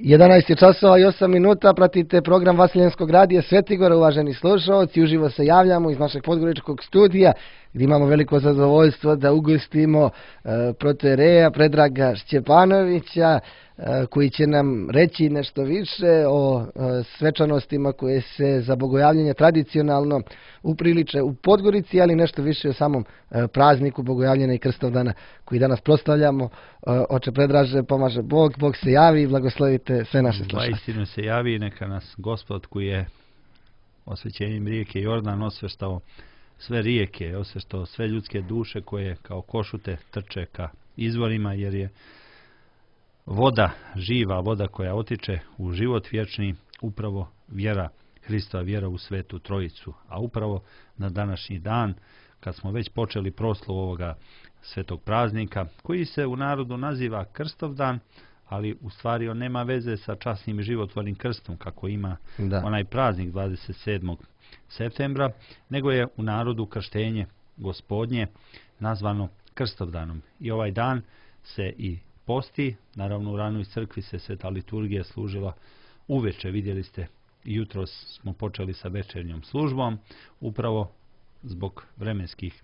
11 je časova i 8 minuta, pratite program Vaseljenskog radija Svetigora, uvaženi slušalci, uživo se javljamo iz našeg podgoričkog studija, gdje imamo veliko zadovoljstvo da ugostimo protoijereja Predraga Šćepanovića, koji će nam reći nešto više o svečanostima koje se za bogojavljenje tradicionalno upriliče u Podgorici, ali nešto više o samom prazniku Bogojavljena i Krstovdana koji danas proslavljamo. Oče Predraže, pomaže Bog, Bog se javi i blagoslovite sve naše slušalce. Istinu se javi, neka nas Gospod koji je osvećenjem rijeke Jordan osveštao sve rijeke, osveštao sve ljudske duše koje kao košute trče ka izvorima, jer je voda, živa voda koja otiče u život vječni, upravo vjera Hristova, vjera u Svetu Trojicu. A upravo na današnji dan, kad smo već počeli proslavu ovoga svetog praznika, koji se u narodu naziva Krstovdan, ali u stvari on nema veze sa časnim i životvornim krstom, kako ima onaj praznik 27. septembra, nego je u narodu krštenje Gospodnje nazvano Krstovdanom. I ovaj dan se i posti, naravno u ranoj crkvi se sveta liturgija služila uveče, vidjeli ste, jutros smo počeli sa večernjom službom, upravo zbog vremenskih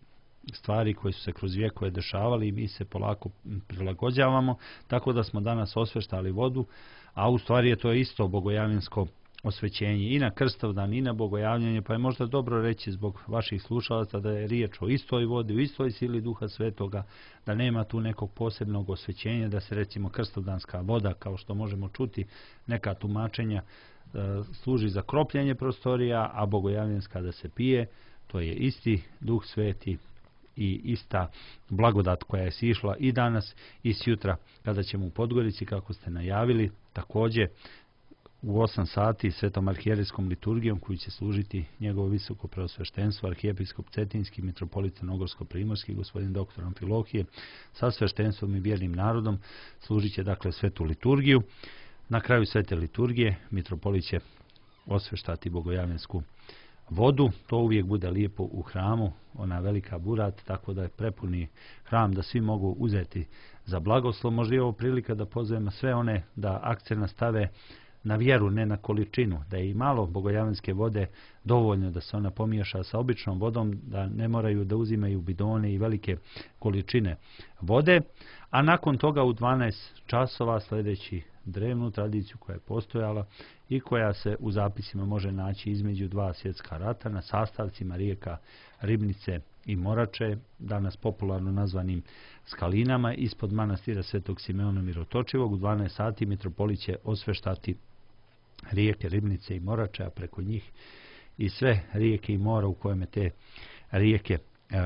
stvari koje su se kroz vjekove dešavali i mi se polako prilagođavamo, tako da smo danas osveštali vodu, a u stvari je to isto bogojavljensko osvećenje i na Krstovdan i na bogojavljanje, pa je možda dobro reći zbog vaših slušalaca da je riječ o istoj vodi, u istoj sili Duha Svetoga, da nema tu nekog posebnog osvećenja, da se recimo Krstovdanska voda, kao što možemo čuti neka tumačenja, služi za kropljenje prostorija, a bogojavljenska da se pije. To je isti Duh Sveti i ista blagodat koja je sišla i danas i sjutra kada ćemo u Podgorici, kako ste najavili, također u 8 sati svetom arhijerijskom liturgijom koju će služiti njegovo visoko preosveštenstvo arhijepiskop Cetinski, mitropolit Crnogorsko-primorski, gospodin dr. Amfilohije, sa sveštenstvom i vjernim narodom služit će dakle svetu liturgiju. Na kraju svete liturgije mitropolit će osveštati bogojavljensku vodu. To uvijek bude lijepo u hramu, ona velika burat, tako da je prepuni hram da svi mogu uzeti za blagoslov. Možda je ovo prilika da pozovemo sve one da akcent stave na vjeru, ne na količinu, da je i malo bogojavljenske vode dovoljno da se ona pomiješa sa običnom vodom, da ne moraju da uzimaju bidone i velike količine vode, a nakon toga u 12 časova sljedeći drevnu tradiciju koja je postojala i koja se u zapisima može naći između dva svjetska rata na sastavcima rijeka Ribnice i Morače, danas popularno nazvanim skalinama, ispod manastira Svetog Simeona Mirotočivog. U 12 sati mitropolit će osveštati rijeke Ribnice i Morače, a preko njih i sve rijeke i mora u kojima te rijeke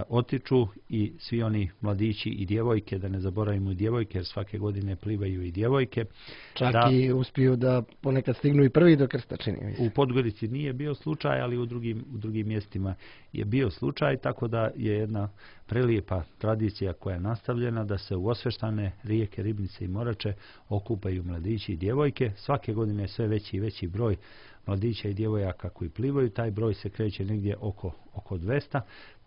otiču i svi oni mladići i djevojke, da ne zaboravimo i djevojke, jer svake godine plivaju i djevojke. Čak i uspiju da ponekad stignu i prvi do krsta, čini mi se. U Podgorici nije bio slučaj, ali u drugim mjestima je bio slučaj, tako da je jedna prelijepa tradicija koja je nastavljena da se u osveštane rijeke Ribnice i Morače okupaju mladići i djevojke. Svake godine je sve veći i veći broj mladića i djevojaka koji plivaju, taj broj se kreće negdje oko 200.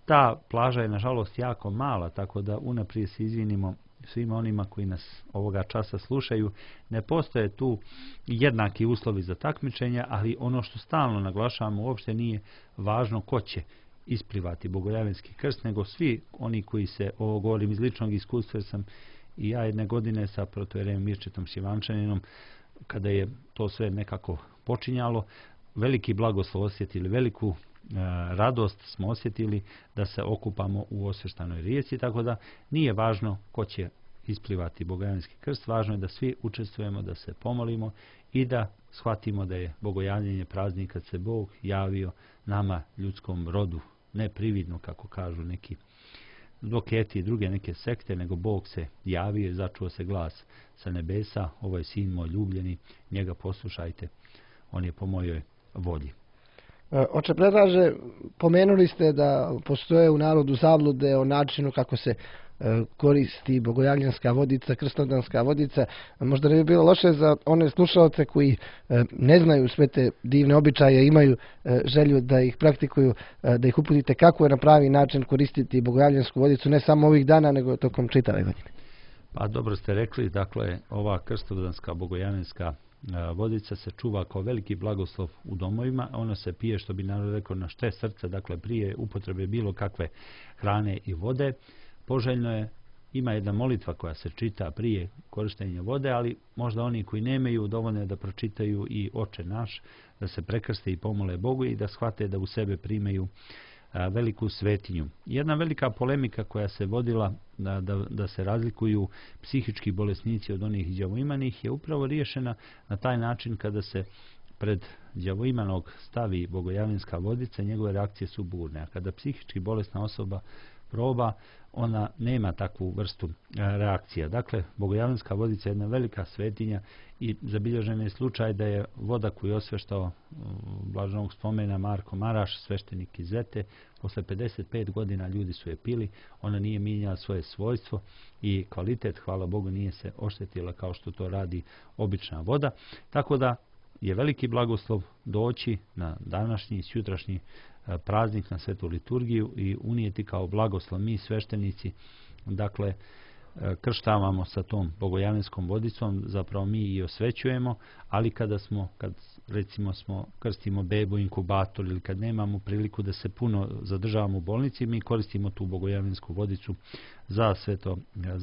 Ta plaža je nažalost jako mala, tako da unaprijed se izvinimo svima onima koji nas ovoga časa slušaju. Ne postoje tu jednaki uslovi za takmičenja, ali ono što stalno naglašavamo, uopšte nije važno ko će isplivati bogojavljenski krst, nego svi oni koji se, ovo govorim iz ličnog iskustva, jer sam i ja jedne godine sa protoijerejem Mirčetom Šljivančaninom, kada je to sve nekako počinjalo, veliki blagoslov osjetili, veliku radost smo osjetili da se okupamo u osveštanoj rijeci, tako da nije važno ko će isplivati bogojavljenski krst, važno je da svi učestvujemo, da se pomolimo i da shvatimo da je bogojavljenje praznik kad se Bog javio nama, ljudskom rodu, ne prividno kako kažu neki doketi i druge neke sekte, nego Bog se javio i začuo se glas sa nebesa: ovo je sin moj ljubljeni, njega poslušajte, on je po mojoj volji. Oče Predraže, pomenuli ste da postoje u narodu zablude o načinu kako se koristi bogojavljenska vodica, krstovdanska vodica. Možda ne bi bilo loše za one slušalce koji ne znaju sve te divne običaje, imaju želju da ih praktikuju, da ih uputite kako je na pravi način koristiti bogojavljensku vodicu, ne samo ovih dana, nego tokom čitave godine. Pa dobro ste rekli, dakle ova krstovdanska bogojavljanska vodica se čuva kao veliki blagoslov u domovima, ono se pije, što bi narod rekao, na šte srca, dakle prije upotrebe bilo kakve hrane i vode. Poželjno je, ima jedna molitva koja se čita prije korištenja vode, ali možda oni koji nemaju, dovoljno je da pročitaju i Oče naš, da se prekrste i pomole Bogu i da shvate da u sebe primaju veliku svetinju. Jedna velika polemika koja se vodila da se razlikuju psihički bolesnici od onih đavoimanih je upravo riješena na taj način kada se pred đavoimanog stavi bogojavljanska vodica, njegove reakcije su burne, a kada psihički bolesna osoba proba, ona nema takvu vrstu reakcija. Dakle, bogojavljanska vodica je jedna velika svetinja i zabilježen je slučaj da je voda koju je osveštao blaženog spomena Marko Maraš, sveštenik iz Zete, posle 55 godina ljudi su je pili, ona nije mijenjala svoje svojstvo i kvalitet, hvala Bogu, nije se oštetila kao što to radi obična voda. Tako da je veliki blagoslov doći na današnji i sutrašnji praznik, na svetu liturgiju i unijeti kao blagoslov mi sveštenici, dakle krštavamo sa tom bogojavljanskom vodicom, zapravo mi i osvećujemo, ali kad recimo krstimo bebu, inkubator ili kad nemamo priliku da se puno zadržavamo u bolnici, mi koristimo tu bogojavljansku vodicu za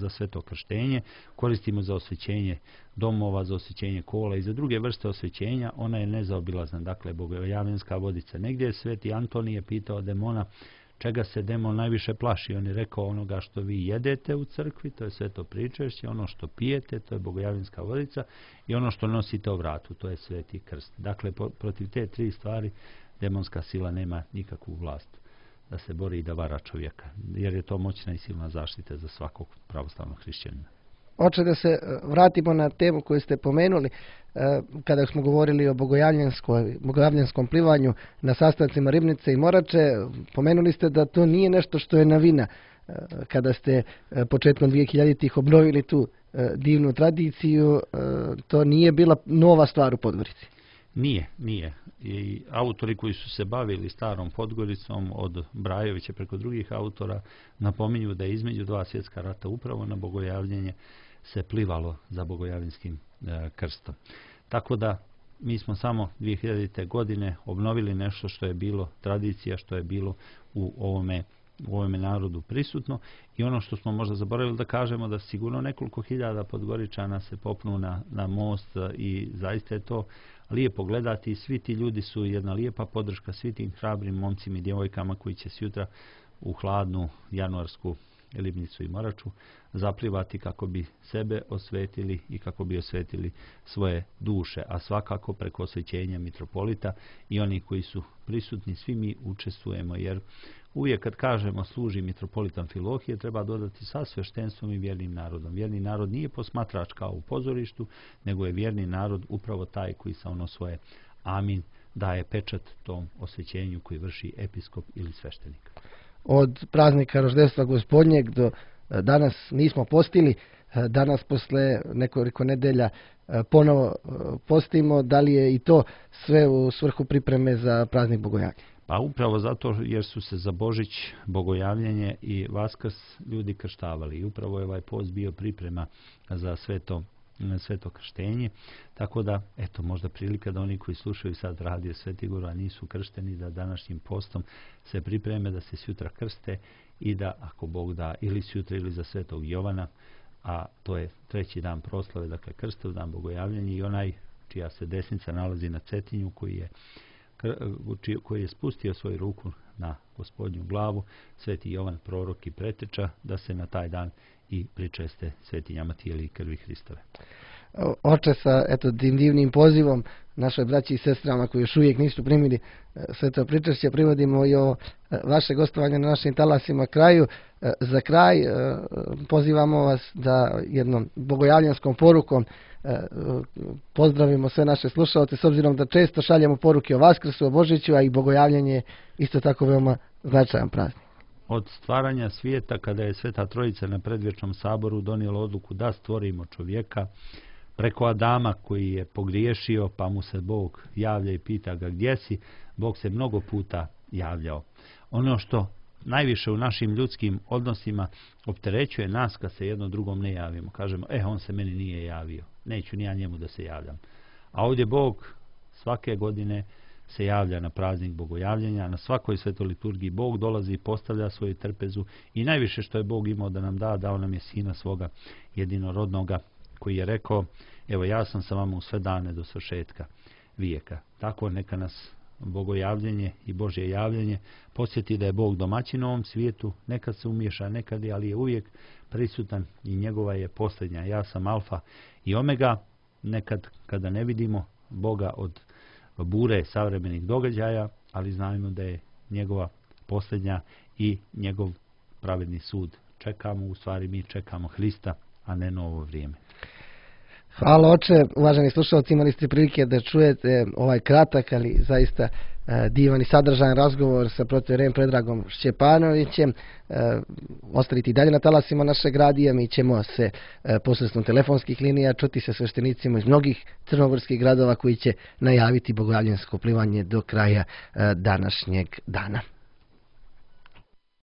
sve to krštenje, koristimo za osvećenje domova, za osvećenje kola i za druge vrste osvećenja. Ona je nezaobilazna, dakle bogojavljanska vodica. Negdje je sveti Antonije pitao demona čega se demon najviše plaši. On je rekao onoga što vi jedete u crkvi, to je sveto pričešće, ono što pijete, to je bogojavljanska vodica i ono što nosite u vratu, to je sveti krst. Dakle, protiv te tri stvari demonska sila nema nikakvu vlast da se bori i da vara čovjeka, jer je to moćna i silna zaštita za svakog pravoslavnog hrišćanina. Oče, da se vratimo na temu koju ste pomenuli, kada smo govorili o bogojavljanskom plivanju na sastancima Ribnice i Morače, pomenuli ste da to nije nešto što je novina. Kada ste početkom 2000-ih obnovili tu divnu tradiciju, to nije bila nova stvar u Podgorici. Nije. I autori koji su se bavili starom Podgoricom, od Brajovića preko drugih autora, napominju da je između dva svjetska rata upravo na bogojavljenje se plivalo za bogojavljanskim krstom. Tako da mi smo samo 2000. godine obnovili nešto što je bilo tradicija, što je bilo u ovome narodu prisutno, i ono što smo možda zaboravili da kažemo, da sigurno nekoliko hiljada Podgoričana se popnu na most i zaista je to lijepo gledati i svi ti ljudi su jedna lijepa podrška svi tim hrabrim momcima i djevojkama koji će sutra u hladnu januarsku Libnicu i Moraču zaplivati kako bi sebe osvetili i kako bi osvetili svoje duše, a svakako preko osvećenja mitropolita i oni koji su prisutni, svi mi učestvujemo, jer uvijek kad kažemo služi mitropolit Amfilohije, treba dodati sa sveštenstvom i vjernim narodom. Vjerni narod nije posmatrač kao u pozorištu, nego je vjerni narod upravo taj koji sa ono svoje amin daje pečat tom osvećenju koji vrši episkop ili sveštenik. Od praznika Roždestva Gospodnjeg do danas nismo postili, danas posle nekoliko nedelja ponovo postimo. Da li je i to sve u svrhu pripreme za praznik Bogojavljenja? Pa upravo zato jer su se za Božić, Bogojavljenje i Vaskrs ljudi krštavali. I upravo je ovaj post bio priprema za sve to krštenje. Tako da, eto, možda prilika da oni koji slušaju sad radio Sveti Igor, a nisu kršteni, da današnjim postom se pripreme da se sutra krste i da, ako Bog da, ili sutra ili za Svetog Jovana, a to je treći dan proslave, dakle krstov dan Bogojavljenja, i onaj čija se desnica nalazi na Cetinju, koji je spustio svoju ruku na Gospodnju glavu, Sveti Jovan, prorok i preteča, da se na taj dan i pričeste svetinjama tijela i krvi Hristove. Oče, sa divnim pozivom našoj braći i sestrama koji još uvijek nisu primili sveto pričešće, privodimo i o vaše gostovanje na našim talasima kraju. Za kraj pozivamo vas da jednom bogojavljanskom porukom pozdravimo sve naše slušalce, s obzirom da često šaljemo poruke o Vaskrsu, o Božiću, a i bogojavljanje je isto tako veoma značajan praznik. Od stvaranja svijeta, kada je Sveta Trojica na predvječnom saboru donijela odluku da stvorimo čovjeka, preko Adama koji je pogriješio, pa mu se Bog javlja i pita ga gdje si, Bog se mnogo puta javljao. Ono što najviše u našim ljudskim odnosima opterećuje nas kad se jedno drugom ne javimo. Kažemo, on se meni nije javio, neću ni ja njemu da se javljam. A ovdje Bog svake godine se javlja na praznik bogojavljenja, na svakoj svetoj liturgiji Bog dolazi i postavlja svoju trpezu i najviše što je Bog imao da nam da, dao nam je Sina svoga jedinorodnoga, koji je rekao, evo ja sam sa vama u sve dane do svršetka vijeka. Tako neka nas bogojavljenje i Božje javljenje podsjeti da je Bog domaćin u ovom svijetu, nekad se umiješa, nekad je, ali je uvijek prisutan i njegova je posljednja. Ja sam alfa i omega, nekad kada ne vidimo Boga od bure savremenih događaja, ali znamo da je njegova posljednja i njegov pravedni sud. Čekamo, u stvari mi čekamo Hrista, a ne novo vrijeme. Hvala oče, uvaženi slušalci, imali ste prilike da čujete ovaj kratak, ali zaista divan i sadržajan razgovor sa protoijerejem Predragom Šćepanovićem. Ostaviti dalje na talasima našeg radija, mi ćemo se posredstvom telefonskih linija čuti sa sveštenicima iz mnogih crnogorskih gradova koji će najaviti bogojavljensko plivanje do kraja današnjeg dana.